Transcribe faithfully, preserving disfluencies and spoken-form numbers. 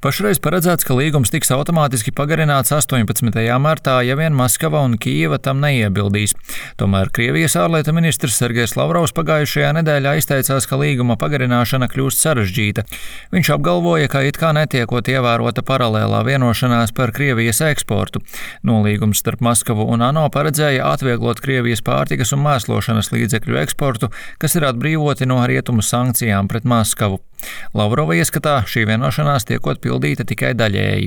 Pašreiz paredzēts, ka līgums tiks automātiski pagarināts astoņpadsmitajā martā, ja vien Maskava un Kijeva tam neiebildīs. Tomēr Krievijas ārlietu ministrs Sergejs Lavrovs pagājušajā nedēļā izteicās, ka līguma pagarināšana kļūst sarežģīta. Viņš apgalvoja, ka it kā netiekot ievērota paralēlā vienošanās par Krievijas eksportu. Nolīgums starp Maskavu un ANO paredzēja atvieglot Krievijas pārtikas un mēslošanas līdzekļu eksportu, kas ir atbrīvoti no rietumu sankcijām pret Maskavu. Lavrova ieskatā šī vienošanās tiekot pildīta tikai daļēji.